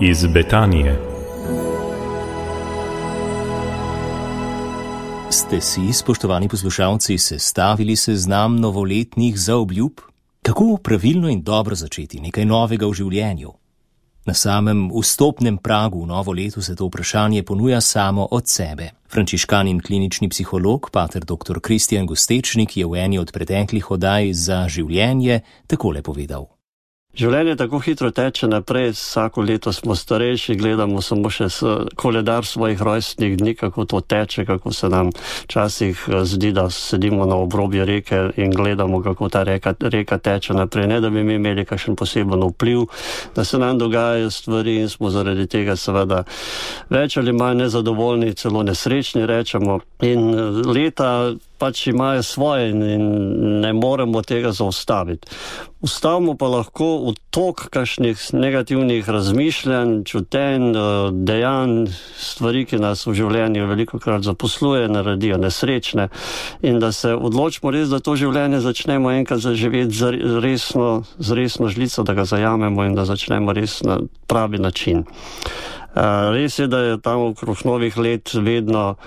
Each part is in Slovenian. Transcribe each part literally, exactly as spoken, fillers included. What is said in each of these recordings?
iz Betanije. Ste si, spoštovani poslušalci, sestavili seznam novoletnih zaobljub? Kako pravilno in dobro začeti nekaj novega v življenju? Na samem vstopnem pragu v novo leto se to vprašanje ponuja samo od sebe. Frančiškan in klinični psiholog, pater doktor Kristijan Gostečnik, je v eni od preteklih oddaj Za življenje takole povedal. Življenje tako hitro teče naprej, vsako leto smo starejši, gledamo samo še koledar svojih rojstnih dni, kako to teče, kako se nam včasih zdi, da sedimo na obrobju reke in gledamo, kako ta reka, reka teče naprej. Ne, da bi mi imeli kakšen poseben vpliv, da se nam dogajajo stvari in smo zaradi tega seveda več ali manj nezadovoljni, celo nesrečni rečemo. In leta pač imajo svoje in ne moremo tega zaustaviti. Ustavimo pa lahko v tok kakšnih negativnih razmišljanj, čutenj, dejanj, stvari, ki nas v življenju velikokrat zaposluje, naredijo nesrečne, in da se odločimo res, da to življenje začnemo enkrat zaživeti z resno, z resno žlico, da ga zajamemo in da začnemo res na pravi način. Res je, da je tam okrog novih let vedno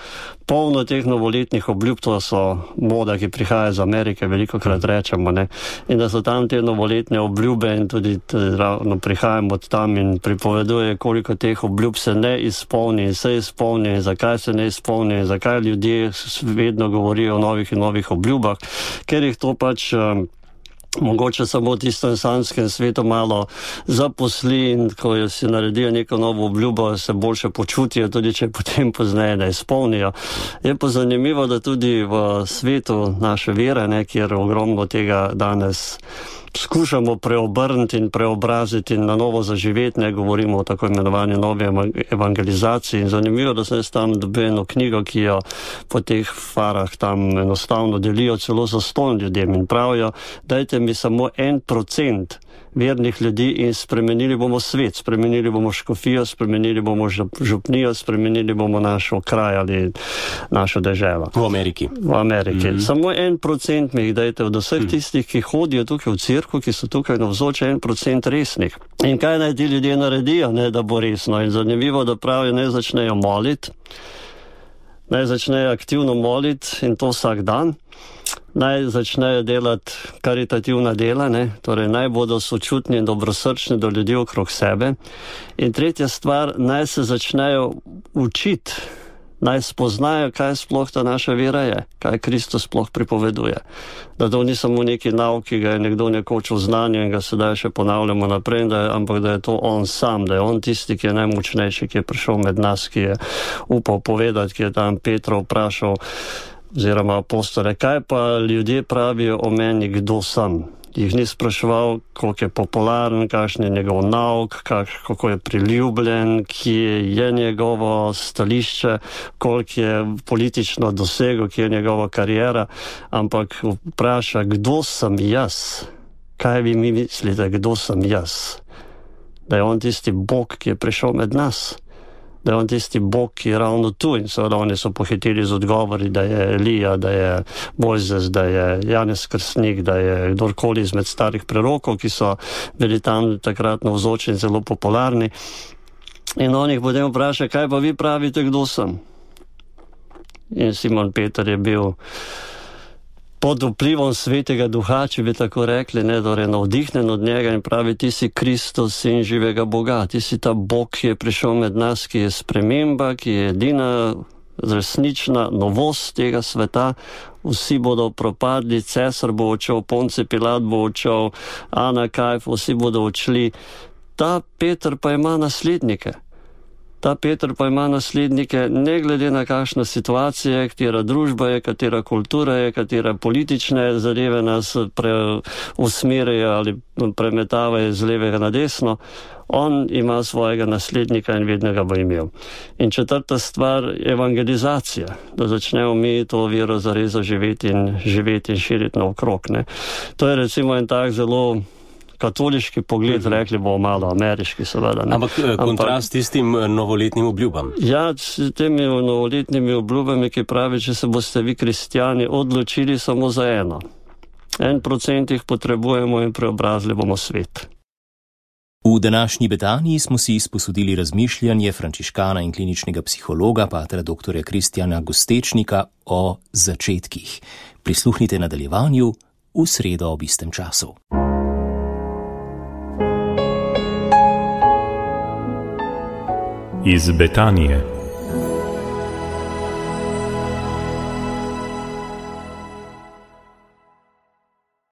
polno teh novoletnih obljub, to so moda, ki prihaja iz Amerike, velikokrat rečemo, ne? In da so tam te novoletne obljube in tudi ravno prihajamo od tam in pripoveduje, koliko teh obljub se ne izpolni in se izpolni in zakaj se ne izpolni in zakaj ljudje vedno govorijo o novih in novih obljubah, ker jih to pač mogoče samo v tistem sanjskem svetu malo zaposli in ko si naredijo neko novo obljubo, se boljše počutijo, tudi če potem pozneje ne izpolnijo. Je pa zanimivo, da tudi v svetu naše vere, ne, kjer ogromno tega danes skušamo preobrniti in preobraziti in na novo zaživeti, ne govorimo o tako imenovani novi evangelizaciji. In zanimivo, da sem tam dobil eno knjigo, ki jo po teh farah tam enostavno delijo celo zastonj ljudem in pravijo, dajte mi samo en procent vernih ljudi in spremenili bomo svet, spremenili bomo škofijo, spremenili bomo župnijo, spremenili bomo našo kraj ali našo deželo. V Ameriki. V Ameriki. Mm-hmm. Samo en procent mi jih dajte od vseh tistih, ki hodijo tukaj v cerkev, ki so tukaj navzoči, en procent resnih. In kaj naj ti ljudje naredijo, ne, da bo resno? In zanimivo, da pravijo, ne začnejo moliti, naj začnejo aktivno moliti in to vsak dan. Naj začnejo delati karitativna dela, ne? Torej naj bodo sočutni in dobrosrčni do ljudi okrog sebe. In tretja stvar, naj se začnejo učiti, naj spoznajo, kaj sploh ta naša vera je, kaj Kristus sploh pripoveduje. Da to ni samo neki nauk, ki ga je nekdo nekoč v znanju in ga sedaj še ponavljamo naprej, da je, ampak da je to on sam, da je on tisti, ki je najmočnejši, ki je prišel med nas, ki je upal povedati, ki je tam Petra vprašal, oziroma apostole, kaj pa ljudje pravijo o meni, kdo sem? Jih ni spraševal, koliko je popularen, kakšen je njegov nauk, kak, kako je priljubljen, kje je njegovo stališče, koliko je politično dosegel, kje je njegova karijera, ampak vpraša, kdo sem jaz? Kaj vi mi mislite, kdo sem jaz? Da je on tisti Bog, ki je prišel med nas. Da je on tisti Bog, ki je ravno tu, in seveda oni so pohitili z odgovori, da je Elija, da je Mojzes, da je Janez Krstnik, da je kdorkoli izmed starih prerokov, ki so bili tam takrat navzoči in zelo popularni. In on jih potem vpraša, kaj pa vi pravite, kdo sem? In Simon Peter je bil pod vplivom Svetega Duha, če bi tako rekli, ne, torej navdihnen od njega in pravi, ti si Kristus, sin živega Boga, ti si ta Bog, ki je prišel med nas, ki je sprememba, ki je edina resnična novost tega sveta. Vsi bodo propadli, cesar bo odšel, Ponce Pilat bo odšel, Ana Kajf, vsi bodo odšli. Ta Peter pa ima naslednike. Ta Peter pa ima naslednike, ne glede na kakšna situacija je, katera družba je, katera kultura je, katera politične zadeve nas preusmerjajo ali premetavajo z levega na desno. On ima svojega naslednika in vedno ga bo imel. In četrta stvar, evangelizacija, da začnemo mi to vero zares živeti in živeti in širiti naokrog, ne. To je recimo en tak zelo katoliški pogled, rekli bomo malo ameriški seveda. Ne? Ampak kontrast s tistim novoletnim obljubam. Ja, s temi novoletnimi obljubami, ki pravi, če se boste vi kristjani odločili samo za eno. En procent jih potrebujemo in preobrazili bomo svet. V današnji Betaniji smo si izposodili razmišljanje frančiškana in kliničnega psihologa patra doktorja Kristjana Gostečnika o začetkih. Prisluhnite nadaljevanju v sredo ob istem času. Iz Betanije.